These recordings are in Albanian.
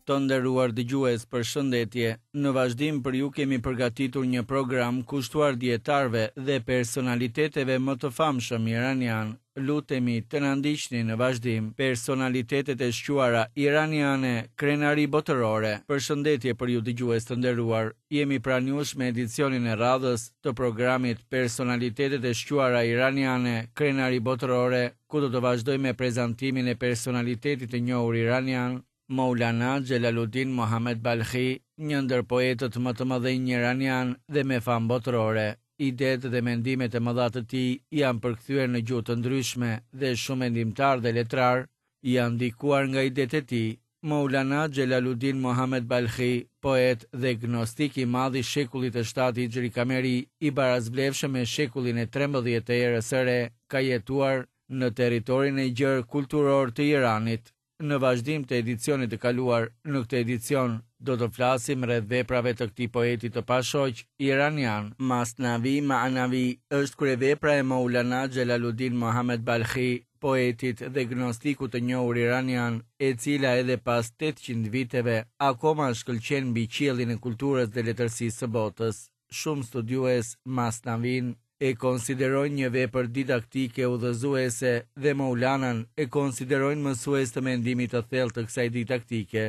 Të nderuar dëgjues, përshëndetje. Në vazhdim për ju kemi përgatitur një program kushtuar dijetarëve dhe personaliteteve më të famshëm iranianë. Lutemi të na ndiqni në vazhdim. Personalitetet e shquara iraniane, krenari botërore. Përshëndetje për ju dëgjues të nderuar. Jemi pranë jush me edicionin e radhës të programit Personalitetet e shquara iraniane, krenari botërore, ku do të vazhdojmë me prezantimin e personalitetit të njohur iranian, Maulana Xhelaluddin Mohammed Balkhi, një ndër poetët më të mëdhenj iranianë dhe me famë botërore. Idetë dhe mendimet e mëdha të tij janë përkthyer në gjuhë të ndryshme dhe shumë mendimtarë dhe letrarë janë ndikuar nga idetë e tij. Maulana Xhelaluddin Mohammed Balkhi, poet dhe gnostik i madh i shekullit të shtatë Hixhri Kameri, i barasvlefshëm me shekullin e 13 të erës së re, ka jetuar në territorin e gjerë kulturor të Iranit. Në vazhdim të edicionit të kaluar, në këtë edicion do të flasim rreth veprave të këtij poeti të pashoq iranian. Masnavi Ma'navi është kryevepra e Maulana Xhelaluddin Mohammed Balkhi, poetit dhe gnostikut të njohur iranian, e cila edhe pas 800 viteve akoma shkëlqen mbi qiellin e kulturës dhe letërsisë së botës. Shumë studiues Masnavin e konsiderojnë një vepër didaktike udhëzuese dhe Maulanan e konsiderojnë mësues të mendimit të thellë të kësaj didaktike.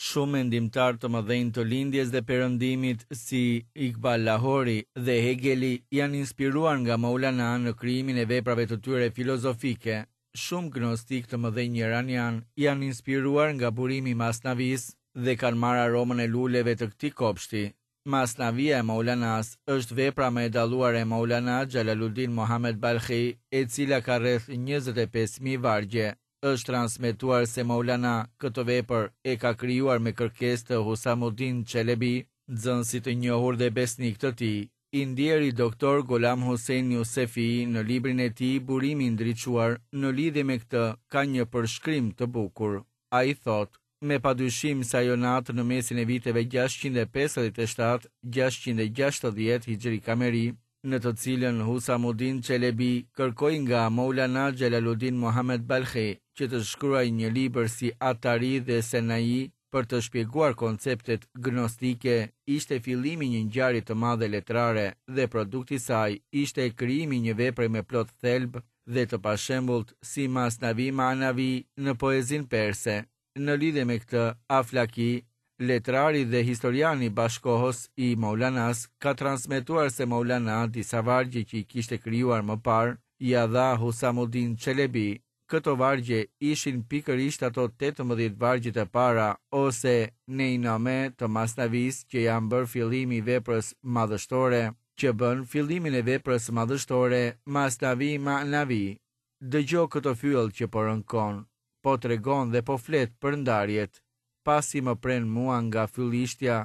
Shumë mendimtarë të mëdhenj të Lindjes dhe Perëndimit si Iqbal Lahori dhe Hegeli janë inspiruar nga Maulana në krijimin e veprave të tyre filozofike. Shumë gnostikë të mëdhenj iranianë janë inspiruar nga burimi i Masnavisë dhe kanë marrë aromën e luleve të këtij kopshti. Masnavia e Maulanas është vepra më e dalluar e Maulana Xhalaluddin Mohammed Balkhi, e cila ka rreth 25.000 vargje. Është transmetuar se Maulana këtë vepër e ka krijuar me kërkesë të Husamuddin Çelebi, nxënësit të njohur dhe besnik të tij. I ndjeri Doktor Golam Hussein Yusefi në librin e tij Burimi i ndriçuar në lidhje me këtë ka një përshkrim të bukur. Ai thotë, Me padyshim se ajo natë në mesin e viteve 657, 660 Hixhri Kameri, në të cilën Husamuddin Çelebi kërkoi nga Maulana Xhelaluddin Mohammed Balkhi që të shkruajë një libër si Atari dhe Senai për të shpjeguar konceptet gnostike, ishte fillimi i një ngjarje të madhe letrare dhe produkti i saj ishte krijimi i një vepre me plot thelb dhe të pashembullt si Masnavi Ma'navi në poezinë perse. Në lidhje me këtë, Aflaki, letrari dhe historiani bashkëkohës i Maulanas, ka transmetuar se Maulana disa vargje që i kishte krijuar më parë, ia dha Husamuddin Çelebi. Këto vargje ishin pikërisht ato 18 vargjet e para ose Neiname të Masnavisë që janë bërë fillimi i veprës madhështore, që bën fillimin e veprës madhështore Masnavi Ma'navi. Dëgjo këtë fyell që po rënkon, po tregon dhe po flet për ndarjet. Pasi më prenë mua nga fyllishtja,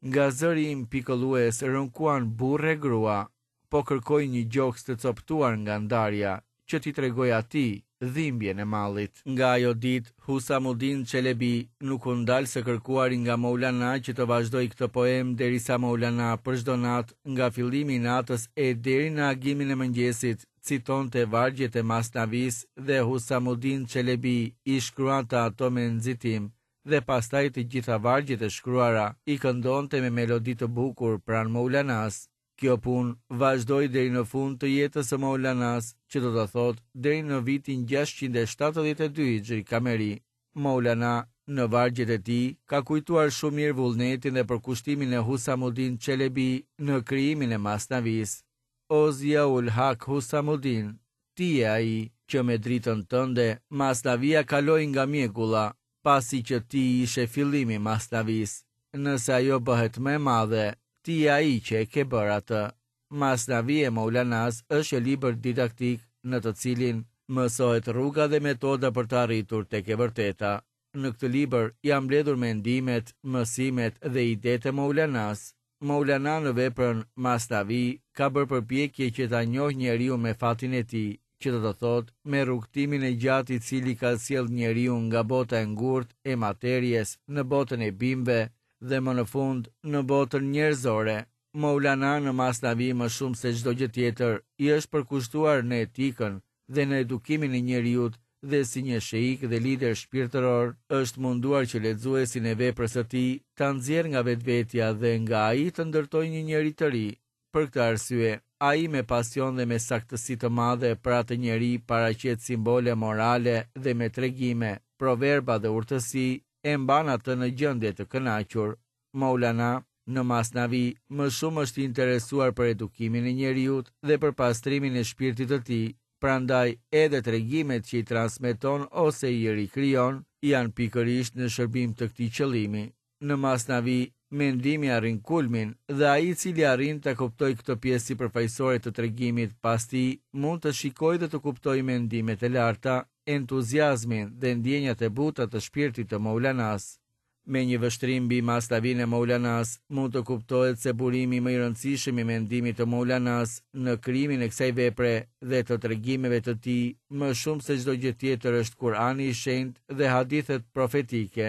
nga zëri im pikëllues rënkuan burrë e grua. Po kërkoj një gjoks të copëtuar nga ndarja, që t'i tregoj atij dhimbjen e mallit. Nga ajo ditë, Husamuddin Çelebi nuk u ndal së kërkuari nga Maulana që të vazhdojë këtë poemë derisa Maulana për çdo natë nga fillimi i natës e deri në agimin e mëngjesit citonte vargjet e Masnavisë dhe Husamuddin Çelebi i shkruante ato me nxitim dhe pastaj të gjitha vargjet e shkruara i këndonte me melodi të bukur pranë Maulanas. Kjo punë vazhdoi deri në fund të jetës së Maulanas, që do të thotë deri në vitin 672 Hixhri Kameri. Maulana në vargjet e tij ka kujtuar shumë mirë vullnetin dhe përkushtimin e Husamuddin Çelebi në krijimin e Masnavisë. O Ziaul Hak Husamuddin, ti je ai që me dritën tënde Masnavia kaloi nga mjegulla, pasi që ti ishe fillimi i Masnavisë. Nëse ajo bëhet më e madhe, ti je ai që e ke bërë atë. Masnavi e Maulanas është një libër didaktik në të cilin mësohet rruga dhe metoda për të arritur tek e vërteta. Në këtë libër janë mbledhur mendimet, mësimet dhe idetë e Maulanas. Maulana në veprën Masnavi ka bërë përpjekje që ta njohë njeriun me fatin e tij, që do të thotë me rrugëtimin e gjatë i cili ka sjellë njeriun nga bota e ngurtë e materies në botën e bimëve dhe më në fund në botën njerëzore. Maulana në Masnavi më shumë se çdo gjë tjetër i është përkushtuar në etikën dhe në edukimin e njeriut dhe si një sheik dhe lider shpirtëror, është munduar që lexuesin e veprës së tij ta nxjerrë nga vetvetja dhe nga ai të ndërtojë një njeri të ri. Për këtë arsye, ai me pasion dhe me saktësi të madhe për atë njeri paraqet simbole morale dhe me tregime, proverba dhe urtësi e mban atë në gjendje të kënaqur. Maulana, në Masnavi, më shumë është i interesuar për edukimin e njeriut dhe për pastrimin e shpirtit të tij, prandaj edhe tregimet që i transmeton ose i rikrijon, janë pikërisht në shërbim të këtij qëllimi. Në Masnavi, mendimi arrin kulmin dhe ai i cili arrin ta kuptojë këtë pjesë sipërfaqësore të tregimit pas tij mund të shikojë dhe të kuptojë mendimet e larta, entuziazmin dhe ndjenjat e buta të shpirtit të Maulanas. Me një vështrim mbi Masnavinë e Maulanas, mund të kuptohet se burimi më i rëndësishëm i mendimit të Maulanas në krijimin e kësaj vepre dhe të tregimeve të tij më shumë se çdo gjë tjetër është Kur'ani i Shenjtë dhe hadithet profetike.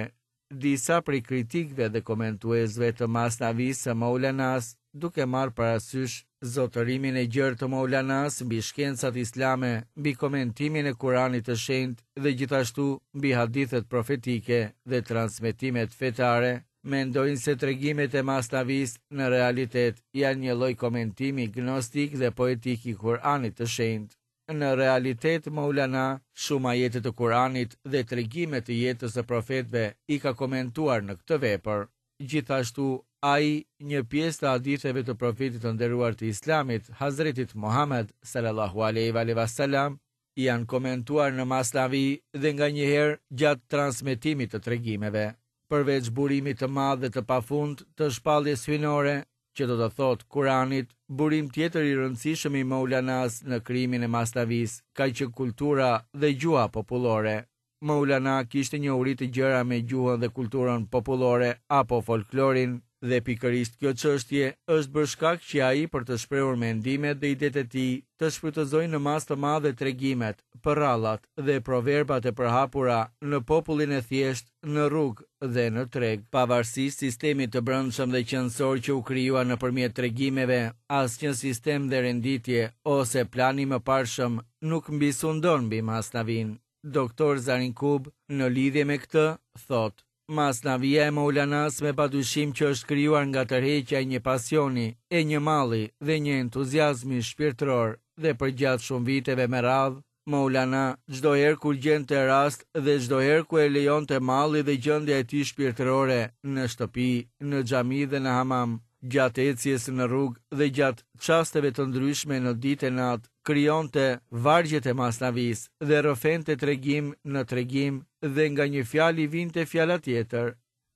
Disa prej kritikëve dhe komentuesve të Masnavisë së Maulanas, duke marrë parasysh zotërimin e gjerë të Maulanas mbi shkencat islame, mbi komentimin e Kuranit të Shenjtë dhe gjithashtu mbi hadithet profetike dhe transmetimet fetare, mendojnë se tregimet e Masnavisë në realitet janë një lloj komentimi gnostik dhe poetik i Kuranit të Shenjtë. Në realitet Maulana shumë ajete të Kuranit dhe tregime të jetës së profetëve i ka komentuar në këtë vepër. Gjithashtu, ai një pjesë të haditheve të Profetit të nderuar të Islamit, Hazretit Muhamed, sallallahu alejhi ve alejhi ve selam, janë komentuar në Masnavi dhe nganjëherë gjatë transmetimit të tregimeve. Përveç burimit të madh dhe të pafund të shpalljes hyjnore, që do të thotë Kuranit, burim tjetër i rëndësishëm i Maulanas në krijimin e Masnavisë ka qenë kultura dhe gjuha popullore. Maulana kishte njohuri të gjera me gjuhën dhe kulturën popullore apo folklorin dhe pikërisht kjo çështje është bërë shkak që ai për të shprehur mendimet dhe idetë e tij të shfrytëzojë në masë të madhe tregimet, përrallat dhe proverbat e përhapura në popullin e thjeshtë në rrugë dhe në treg. Pavarësisht sistemit të brendshëm dhe qenësor që u krijua nëpërmjet tregimeve, asnjë sistem dhe renditje ose plan i mëparshëm nuk mbisundon mbi Masnavinë. Doktor Zarinkub, në lidhje me këtë, thotë, Masnavia e Maulanas me padyshim që është krijuar nga tërheqja e një pasioni, e një malli dhe një entuziazmi shpirtëror dhe përgjatë shumë viteve me radhë, Maulana, çdo herë kur gjente rast dhe çdo herë ku e lejonte malli dhe gjendja e tij shpirtërore, në shtëpi, në xhami dhe në hamam, gjatë ecjes në rrugë dhe gjatë çasteve të ndryshme në ditë e natë, krijonte vargjet e Masnavisë dhe rrëfente tregim në tregim dhe nga një fjalë i vinte fjala tjetër.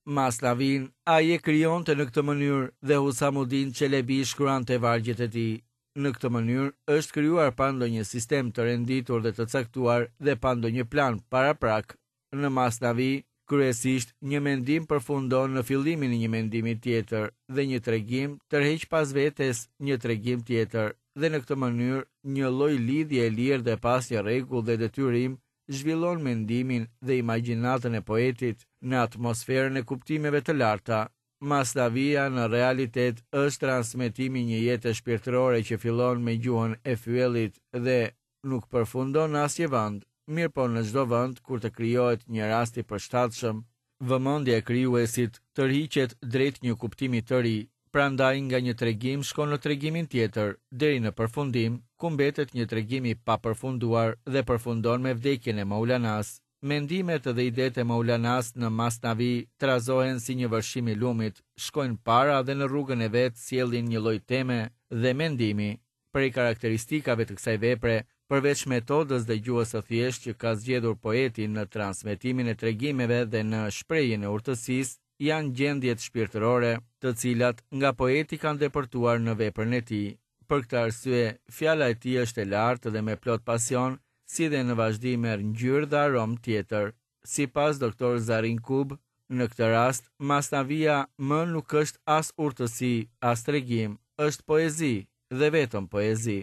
Masnavinë ai e krijonte në këtë mënyrë dhe Husamudin Çelebi shkruante vargjet e tij. Në këtë mënyrë është krijuar pa ndonjë sistem të renditur dhe të caktuar dhe pa ndonjë plan paraprak. Në Masnavi, kryesisht një mendim përfundon në fillimin e një mendimi tjetër dhe një tregim tërheq pas vetes një tregim tjetër dhe në këtë mënyrë një lloj lidhje e lirë dhe pa asnjë rregull dhe detyrim zhvillon mendimin dhe imagjinatën e poetit në atmosferën e kuptimeve të larta. Masnavia në realitet është transmetimi i një jete shpirtërore që fillon me gjuhën e fyellit dhe nuk përfundon në asnjë vend, mirëpo në çdo vend kur të krijohet një rast i përshtatshëm, vëmendja e krijuesit tërhiqet drejt një kuptimi të ri, prandaj nga një tregim shkon në tregimin tjetër, deri në përfundim, ku mbetet një tregim i papërfunduar dhe përfundon me vdekjen e Maulanas. Mendimet dhe idetë e Maulanas në Masnavi trazohen si një vërshim i lumit, shkojnë para dhe në rrugën e vet sjellin një lloj teme dhe mendimi. Prej karakteristikave të kësaj vepre, përveç metodës dhe gjuhës së thjeshtë që ka zgjedhur poeti në transmetimin e tregimeve dhe në shprehjen e urtësisë, janë gjendjet shpirtërore, të cilat nga poeti kanë depërtuar në veprën e tij. Për këtë arsye, fjala e tij është e lartë dhe me plot pasion, si dhe në vazhdim merr ngjyrë dhe aromë tjetër. Sipas Doktor Zarinkub, në këtë rast, Masnavia më nuk është as urtësi, as tregim, është poezi, dhe vetëm poezi.